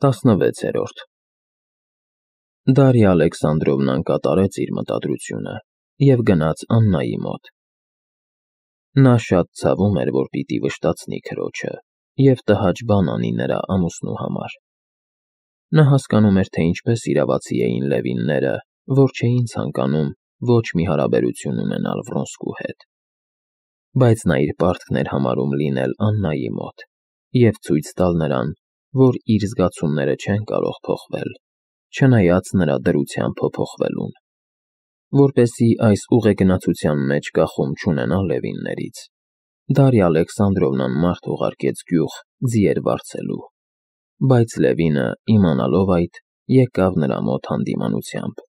16-րդ Դարիա Ալեքսանդրովնան կատարեց իր մտադրությունը և գնաց Աննայի մոտ։ Նա շատ ցավում էր, որ պիտի վշտացնի քրոջը և տհաճ բան անի նրա ամուսնու համար։ Նա հասկանում էր, թե ինչպես իրավացի էին Լևինները, որ չէին ցանկանում ոչ մի հարաբերություն ունենալ Վրոնսկու հետ։ Բայց նա իր պարտքն էր համարում լինել Աննայի մոտ և ցույց տալ նրան, որ իր զգացումները չեն կարող փոխվել, չնայած նրա դրության փոփոխվելուն։ Որպեսզի այս ուղեգնացության մեջ կախում չունենա Լևիններից, Դարիա Ալեքսանդրովնան մարդ ուղարկեց գյուղ ձիեր վարձելու, բայց Լևինը, իմանալով այդ, եկավ նրա մոտ հանդիմանությամբ։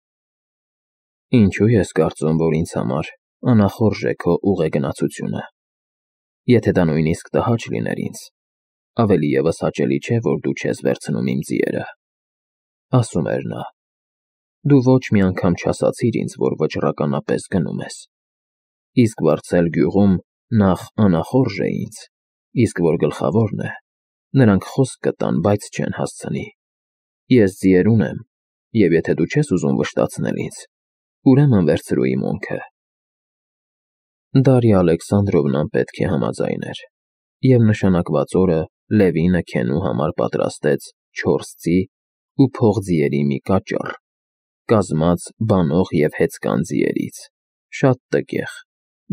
Ինչու ես կարծում, որ ինձ համար անախորժ է քո ուղեգնացությունը։ Եթե դա նույնիսկ տհաճ լիներ ինձ, ավելի ևս հաճելի չէ, որ դու չես վերցնում իմ ձիերը, ասում էր նա։ Դու ոչ մի անգամ չասացիր ինձ, որ վճռականապես գնում ես։ Իսկ վարձել գյուղում նախ անախորժ է ինձ, իսկ որ գլխավորն է, նրանք խոսք կտան, բայց չեն հասցնի։ Ես ձիեր ունեմ, և եթե դու չես ուզում վշտացնել ինձ, ուրեմն վերցրու իմ ունքը։ Դարիա Ալեքսանդրովնան պետք է համաձայներ, և նշանակված օրը Լևինը քենու համար պատրաստեց 4 ձի ու փողձիերի մի կաճառ, կազմած բանող և հեծկան ձիերից, շատ տգեղ,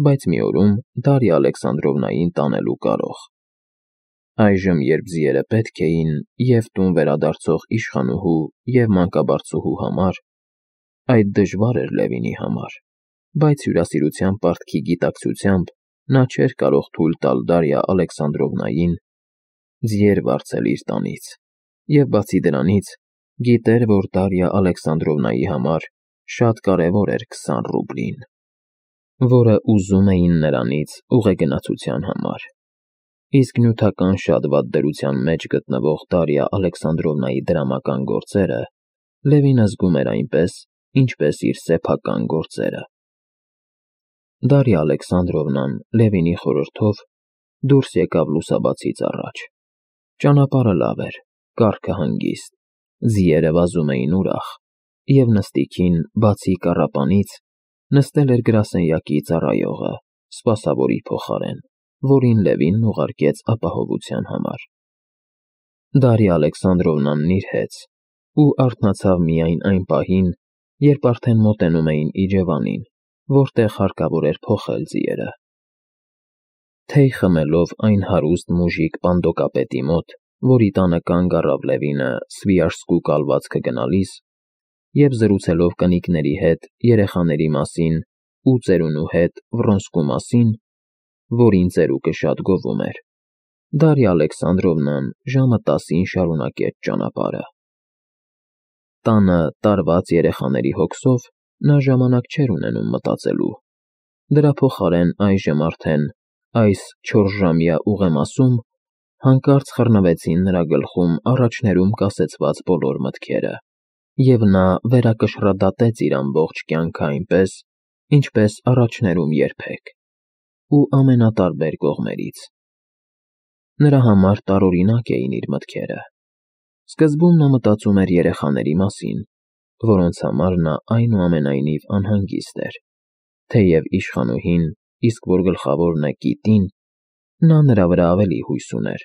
բայց մի օրում Դարիա Ալեքսանդրովնային տանելու կարող։ Այժմ, երբ ձիերը պետք էին և տուն վերադարձող իշխանուհու և մանկաբարձուհու համար, այդ դժվար էր Լևինի համար, բայց հյուրասիրության պարտքի գիտակցությամբ նա չէր կարող թույլ տալ Դարիա Ալեքսանդրովնային ձիեր վարձել իր տանից, և բացի դրանից, գիտեր, որ Դարիա Ալեքսանդրովնայի համար շատ կարևոր էր 20 ռուբլին, որը ուզում էին նրանից ուղեգնացության համար։ Իսկ նյութական շատ վատ դրության մեջ գտնվող Դարիա Ալեքսանդրովնայի դրամական գործերը Լևինը զգում էր այնպես, ինչպես իր սեփական գործերը։ Դարիա Ալեքսանդրովնան Լևինի խորհրդով դուրս եկավ լուսաբացից առաջ։ Ճանապարհը լավ էր, կառքը հանգիստ, ձիերը վազում էին ուրախ, և նստիքին, բացի կառապանից, նստել էր գրասենյակի ծառայողը, սպասավորի փոխարեն, որին Լևինն ուղարկեց ապահովության համար։ Դարիա Ալեքսանդրովնան նիրհեց ու արթնացավ միայն այն պահին, երբ արդեն մոտենում էին իջևանին, որտեղ հարկավոր էր փոխել ձիերը։ Թեյ խմելով այն հարուստ մուժիկ պանդոկապետի մոտ, որի տանը կանգ առավ Լևինը Սվիաժսկու կալվածքը գնալիս, և զրուցելով կնիկների հետ երեխաների մասին ու ծերունու հետ Վրոնսկու մասին, որին ծերուկը շատ գովում էր, Դարիա Ալեքսանդրովնան ժամը 10-ին շարունակեց ճանապարհը։ Տանը տարված երեխաների հոգսով նա ժամանակ չէր ունենում մտածելու։ Դրա փոխարեն այժմ արդեն այս 4-ժամյա ուղեմասում հանկարծ խռնվեցին նրա գլխում առաջներում կասեցված բոլոր մտքերը, և նա վերակշռադատեց իր ամբողջ կյանքը այնպես, ինչպես առաջներում երբեք, ու ամենատարբեր կողմերից։ Նրա համար տարօրինակ էին իր մտքերը։ Սկզբում նա մտածում էր երեխաների մասին, որոնց համար նա այնուամենայնիվ անհանգիստ էր, թեև իշխանուհին, իսկ որ գլխավորն է Կիտին, նա նրա վրա ավելի հույս ուներ,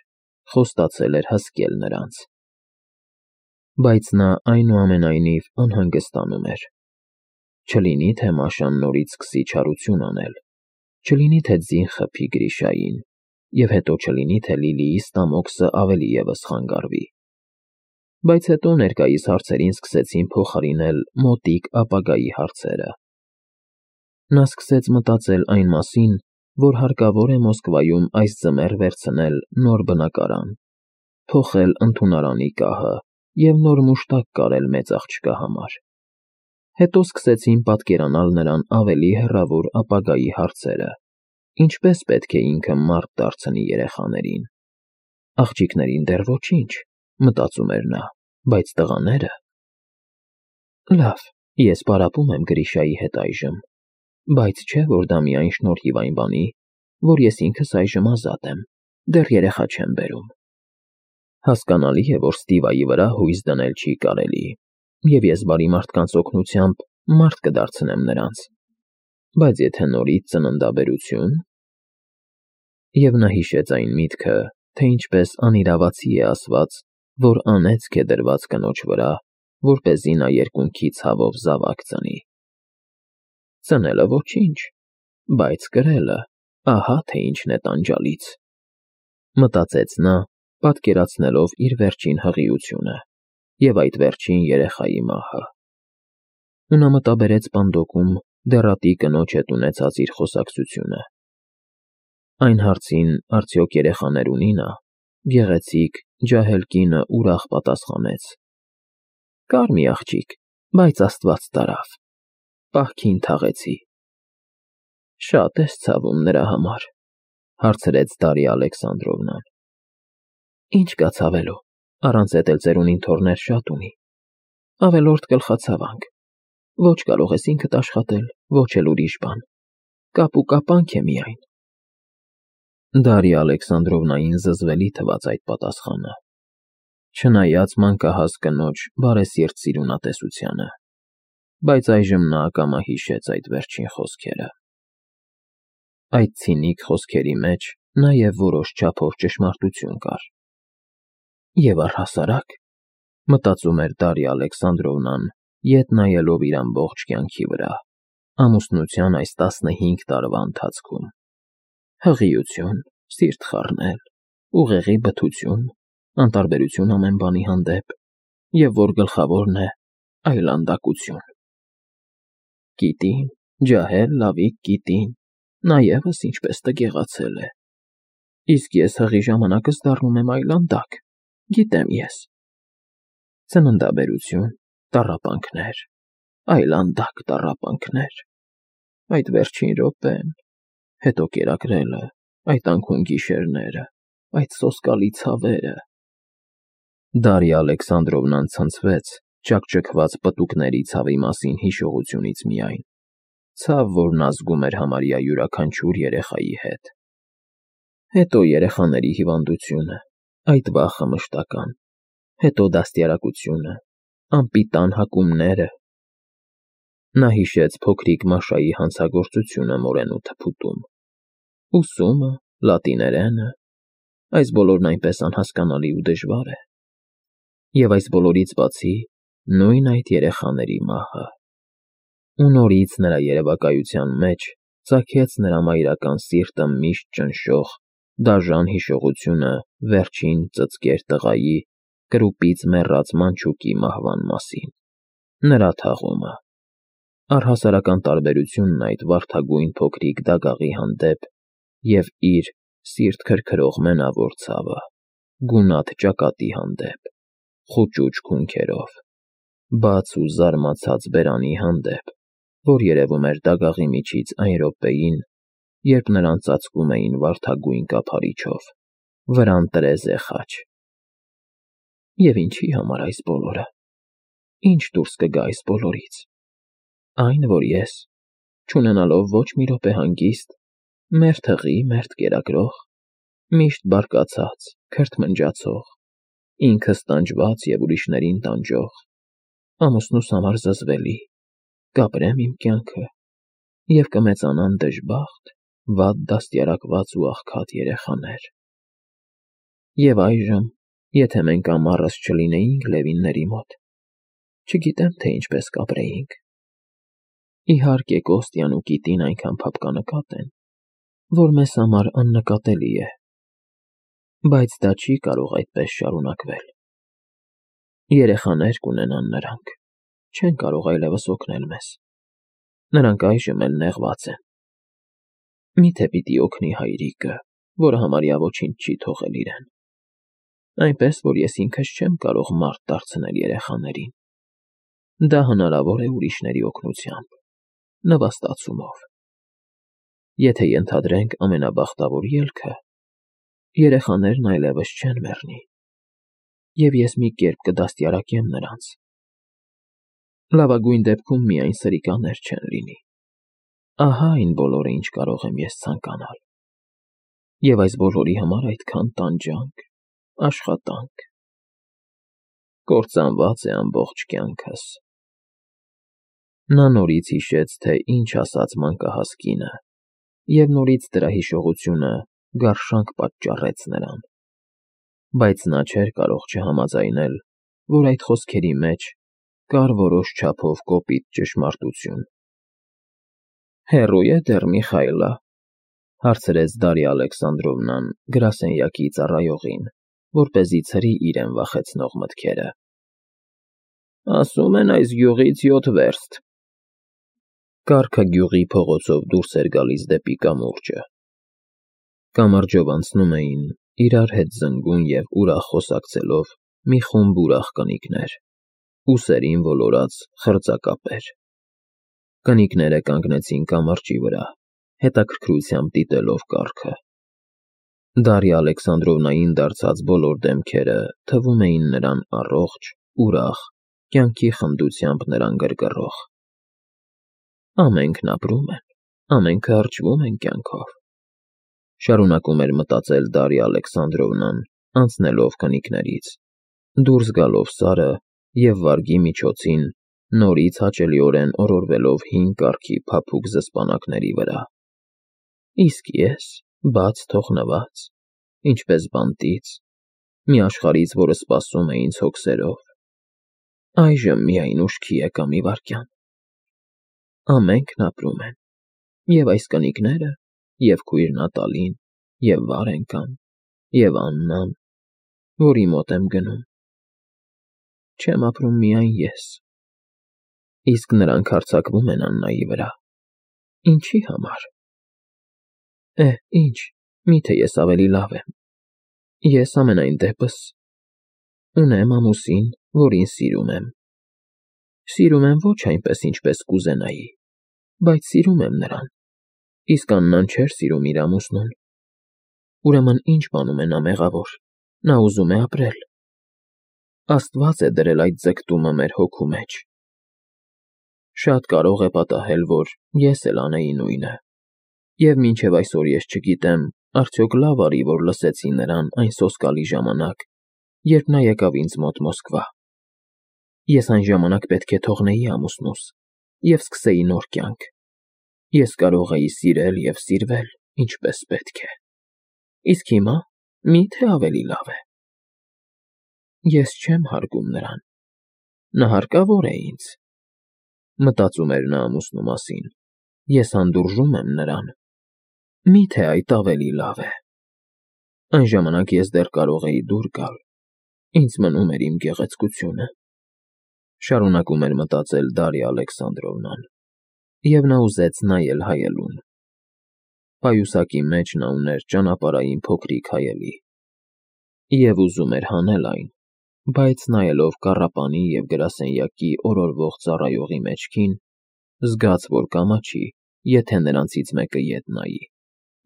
խոստացել էր հսկել նրանց։ Բայց նա այնուամենայնիվ անհանգստանում էր։ Չլինի թե Մաշան նորից սկսի չարություն անել, չլինի թե ձին խփի Գրիշային, և հետո չլինի թե Լիլիի ստամոքսը ավելի ևս խանգարվի։ Բայց հետո ներկայիս հարցերին սկսեցին փոխարինել մոտիկ ապագայի հարցերը։ Նա սկսեց մտածել այն մասին, որ հարկավոր է Մոսկվայում այս ձմեռ վերցնել նոր բնակարան, փոխել ընդունարանի կահը և նոր մուշտակ կարել մեծ աղջկա համար։ Հետո սկսեցին պատկերանալ նրան ավելի հեռավոր ապագայի հարցերը. ինչպես պետք է ինքը մարդ դարձնի երեխաներին։ Աղջիկներին դեռ ոչինչ, մտածում էր նա, բայց տղաները… Լավ, ես պարապում եմ Գրիշայի հետ այժմ, բայց չէ՞ որ դա միայն շնորհիվ այն բանի, որ ես ինքս այժմ ազատ եմ, դեռ երեխա չեմ բերում։ Հասկանալի է, որ Ստիվայի վրա հույս դնել չի կարելի, և ես բարի մարդկանց օգնությամբ մարդ կդարձնեմ նրանց, բայց եթե նորից ծննդաբերություն… Եվ նա հիշեց այն միտքը, թե ինչպես անիրավացի է ասված, որ անեծք է դրված կնոջ վրա, որպեսզի նա երկունքի ցավով զավակ ծնի։ Ծնելը ոչինչ, բայց կրելը, ահա թե ինչն է տանջալից, մտածեց նա, պատկերացնելով իր վերջին հղիությունը և այդ վերջին երեխայի մահը։ Ու նա մտաբերեց պանդոկում դեռատի կնոջ հետ ունեցած իր խոսակցությունը։ Այն հարցին արդյոք երեխաներ ունի նա, գեղեցիկ, ջահել կինը ուրախ պատասխանեց. «Կար մի աղջիկ, բայց Աստված տարավ, պահքին թաղեցի»։ Շատ ես ցավում նրա համար, հարցրեց Դարիա Ալեքսանդրովնան։ Ինչ կա ցավելու, առանց էդ էլ ծերունին թոռներ շատ ունի։ Ավելորդ գլխացավանք, ոչ կարող ես ինքդ աշխատել, ոչ էլ ուրիշ բան, կապ ու կապանք է միայն։ Դարիա Ալեքսանդրովնային զզվելի թվաց այդ պատասխանը, չնայած մանկահաս կնոջ բարեսիրտ սիրունատեսությանը, բայց այժմ նա ակամա հիշեց այդ վերջին խոսքերը։ Այդ ցինիկ խոսքերի մեջ նաև որոշ չափով ճշմարտություն կար։ Եվ առհասարակ, մտածում էր Դարիա Ալեքսանդրովնան, ետ նայելով իր ամբողջ կյանքի վրա, ամուսնության այս 15 տարվա ընթացքում, հղիություն, սիրտ խառնել, ուղեղի բթություն, անտարբերություն ամեն բանի հանդեպ, և որ գլխավորն է, այլանդակություն։ Կիտին, ջահել լավիկ կիտին, նա ևս ինչպես տգեղացել է։ Իսկ ես հղի ժամանակս դառնում եմ այլանդակ, գիտեմ ես։ Ծննդաբերություն, տառապանքներ, այլանդակ տառապանքներ, այդ վերջին րոպեն, հետո կերակրելը, այդ անքուն գիշերները, այդ սոսկալի ցավերը… Դարիա Ալեքսանդրովնան ցնցվեց ճաքճքված պտուկների ցավի մասին հիշողությունից միայն, ցավ, որն ազգում էր համարյա յուրաքանչյուր երեխայի հետ։ Հետո երեխաների հիվանդությունը, այդ վախը մշտական, հետո դաստիարակությունը, անպիտան հակումները… Նա հիշեց փոքրիկ Մաշայի հանցագործությունը մորենու թփուտում, ուսումը, լատիներենը, այս բոլորն այնպես անհասկանալի ու դժվար է։ Եվ այս բոլորից բացի, նույն այդ երեխաների մահը… Ու նորից նրա երևակայության մեջ ծագեց նրա մայրական սիրտը միշտ ճնշող դաժան հիշողությունը վերջին ծծկեր տղայի, կրուպից մեռած մանչուկի մահվան մասին, նրա թաղումը, առհասարական տարբերությունն այդ վարդագույն փոքրիկ դագաղի հանդեպ և իր սիրտ քրքրող մենավոր ցավը, գունատ ճակատի հանդեպ, խուճուճ քունքերով, բաց ու զարմացած բերանի հանդեպ, որ երևում էր դագաղի միջից այն րոպեին, երբ նրան ծածկում էին վարդագույն կափարիչով, վրան տրեզե խաչ։ Եվ ինչի համար այս բոլորը, ինչ դուրս կգա այս բոլորից։ Այն, որ ես, չունենալով ոչ մի րոպե հանգիստ, մերթ հղի, մերթ կերակրող, միշտ բարկացած, քրթմնջացող, ինքս տանջված և ուրիշներին տանջող, ամուսնուս համար զզվելի, կապրեմ իմ կյանքը, և կմեծանան դժբախտ, վատ դաստիարակված ու աղքատ երեխաներ։ Եվ այժմ, եթե մենք ամառս չլինեինք Լևինների մոտ, չգիտեմ, թե ինչպես կապրեինք։ Իհարկե, Կոստյան ու Կիտին այնքան փափկանկատ են, որ մեզ համար աննկատելի է, բայց դա չի կարող այդպես շարունակվել։ Երեխաներ կունենան նրանք, չեն կարող այլևս օգնել մեզ, նրանք այժմ էլ նեղված են։ Մի՞թե պիտի օգնի հայրիկը, որը համարյա ոչինչ չի թողել իրեն, այնպես, որ ես ինքս չեմ կարող մարդ դարձնել երեխաներին։ Դա հնարավոր է ուրիշների օգնությամբ, նվաստացումով։ Եթե ենթադրենք ամենաբախտավոր ելքը, երեխաներն այլևս չեն մեռնի, և ես մի կերպ կդաստիարակեմ նրանց։ Լավագույն դեպքում միայն սրիկաներ չեն լինի։ Ահա այն բոլորը, ինչ կարող եմ ես ցանկանալ։ Եվ այս բոլորի համար այդքան տանջանք, աշխատանք, կործանված է ամբողջ կյանքս։ Նա նորից հիշեց, թե ինչ ասաց մանկահաս կինը, և նորից դրա հիշողությունը գարշանք պատճառեց նրան։ Բայց նա չէր կարող չհամաձայնել, որ այդ խոսքերի մեջ կար որոշ չափով կոպիտ ճշմարտություն։ «Հեռո՞ւ է դեռ Միխայլը», հարցրեց Դարիա Ալեքսանդրովնան գրասենյակի ծառայողին, որպեսզի ցրի իրեն վախեցնող մտքերը։ «Ասում են այս գյուղից 7 վերստ»։ Կառքը գյուղի փողոցով դուրս էր գալիս դեպի կամուրջը։ Կամրջով անցնում էին, իրար հետ զնգուն և ուրախ խոսակցելով, մի խումբ ուրախ կնիկներ, ուսերին ոլորած խրձակապեր։ Կնիկները կանգնեցին կամրջի վրա, հետաքրքրությամբ դիտելով կառքը։ Դարիա Ալեքսանդրովնային դարձած բոլոր դեմքերը թվում էին նրան առողջ, ուրախ, կյանքի խնդությամբ նրան գրգռող։ Ամենքն ապրում են, ամենքը արճվում են կյանքով, շարունակում էր մտածել Դարիա Ալեքսանդրովնան, անցնելով կնիկներից, դուրս գալով Սարը և վարգի միջոցին նորից հաճելիորեն օրորվելով հին կառքի փափուկ զսպանակների վրա։ Իսկ ես, բաց թողնված, ինչպես բանտից, մի աշխարհից, որը սպասում է ինձ հոգսերով, այժմ միայն ուշքի եկա մի վայրկյան։ Ամենքն ապրում են, և այս կնիկները, և քույր Նատալին, և Վարենկան, և Աննան, որի մոտ եմ գնում։ Չեմ ապրում միայն ես։ Իսկ նրանք հարձակվում են Աննայի վրա։ Ինչի համար։ Ինչ, միթե ես ավելի լավ եմ։ Ես ամենայն դեպս ունեմ ամուսին, որին սիրում եմ։ Սիրում եմ ոչ այնպես, ինչպես կուզենայի, բայց սիրում եմ նրան, իսկ Աննան չէր սիրում իր ամուսնուն։ Ուրեմն ինչ բանում է նա մեղավոր, նա ուզում է ապրել։ Աստված է դրել այդ ձգտումը մեր հոգու մեջ։ Շատ կարող է պատահել, որ ես էլ անեի նույնը, և մինչև այսօր ես չգիտեմ, արդյոք լավ արի, որ լսեցի նրան այն սոսկալի ժամանակ, երբ նա եկավ ինձ մոտ Մոսկվա։ Ես այն ժամանակ պետք է թողնեի ամուսնուս և սկսեի նոր կյանք։ Ես կարող էի սիրել և սիրվել, ինչպես պետք է։ Իսկ հիմա մի՞թե ավելի լավ է։ Ես չեմ հարգում նրան։ Նա հարկավոր է ինձ։ Մտածում էր նա ամուսնու մասին։ Ես հանդուրժում եմ նրան։ Մի՞թե այդ ավելի լավ է։ Այն ժամանակ ես դեռ կարող էի դուր գալ։ Ինձ մնում էր իմ գեղեցկությունը։ Շարունակում էր մտածել Դարիա Ալեքսանդրովնան, և նա ուզեց նայել հայելուն։ Պայուսակի մեջ նա ուներ ճանապարհային փոքրիկ հայելի, և ուզում էր հանել այն, բայց նայելով կառապանի և գրասենյակի օրորվող ծառայողի մեջքին, զգաց, որ կամաչի, եթե նրանցից մեկը ետ նայի,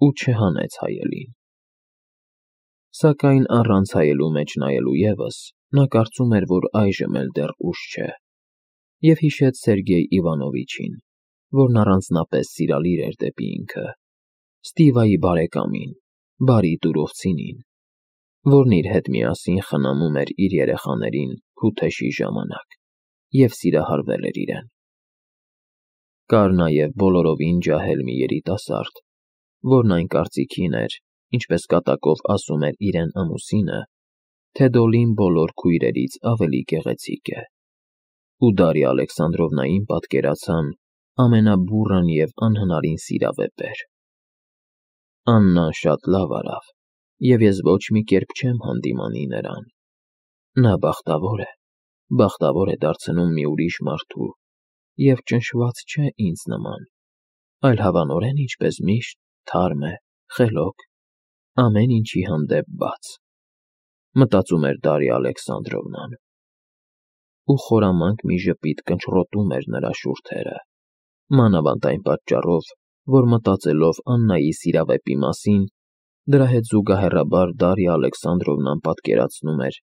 ու չհանեց հայելին։ Սակայն առանց հայելու մեջ նայելու ևս, նա կարծում էր, որ այժմ էլ դեռ ուշ չէ, և հիշեց Սերգեյ Իվանովիչին, որն առանձնապես սիրալիր էր դեպի ինքը, Ստիվայի բարեկամին, բարի տուրովցինին, որն իր հետ միասին խնամում էր իր երեխաներին փութեշի ժամանակ և սիրահարվել էր իրեն։ Կար նաև բոլորովին ջահել մի երիտասարդ, որն այն կարծիքին էր, ինչպես կատակով ասում էր իրեն ամուսինը, թե Դոլին բոլոր քույրերից ավելի գեղեցիկ է, ու Դարիա Ալեքսանդրովնային պատկերացան ամենաբուռն և անհնարին սիրավեպեր։ Աննան շատ լավ արավ, և ես ոչ մի կերպ չեմ հանդիմանի նրան։ Նա բախտավոր է դարձնում մի ուրիշ մարդու և ճնշված չէ ինձ նման, այլ հավանորեն ինչպես միշտ թարմ է, խելոք, ամեն ինչի հանդեպ բաց, մտածում էր Դարիա Ալեքսանդրովնան։ Ու խորամանկ մի ժպիտ կնճռոտում էր նրա շուրթերը, մանավանդ այն պատճառով, որ մտածելով Աննայի սիրավեպի մասին, դրա հետ զուգահեռաբար Դարիա Ալեքսանդրովնան պատկերացնում էր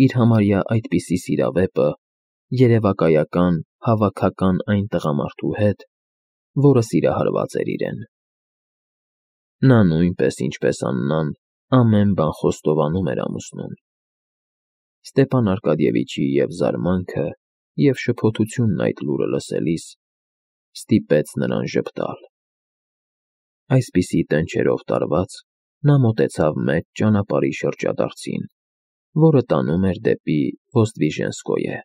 իր համարյա այդպիսի սիրավեպը երևակայական, հավաքական այն տղամարդու հետ, որը սիրահարված էր իրեն։ Նա նույնպես, ինչպես Աննան, ամեն բան խոստովանում էր ամուսնուն։ Ստեփան Արկադիևիչի և զարմանքը, և շփոթությունն այդ լուրը լսելիս ստիպեց նրան ժպտալ։ Այսպիսի տնչերով տարված՝ նա մոտեցավ մեծ ճանապարհի շրջադարձին, որը տանում էր դեպի Ոստվիժենսկոյե։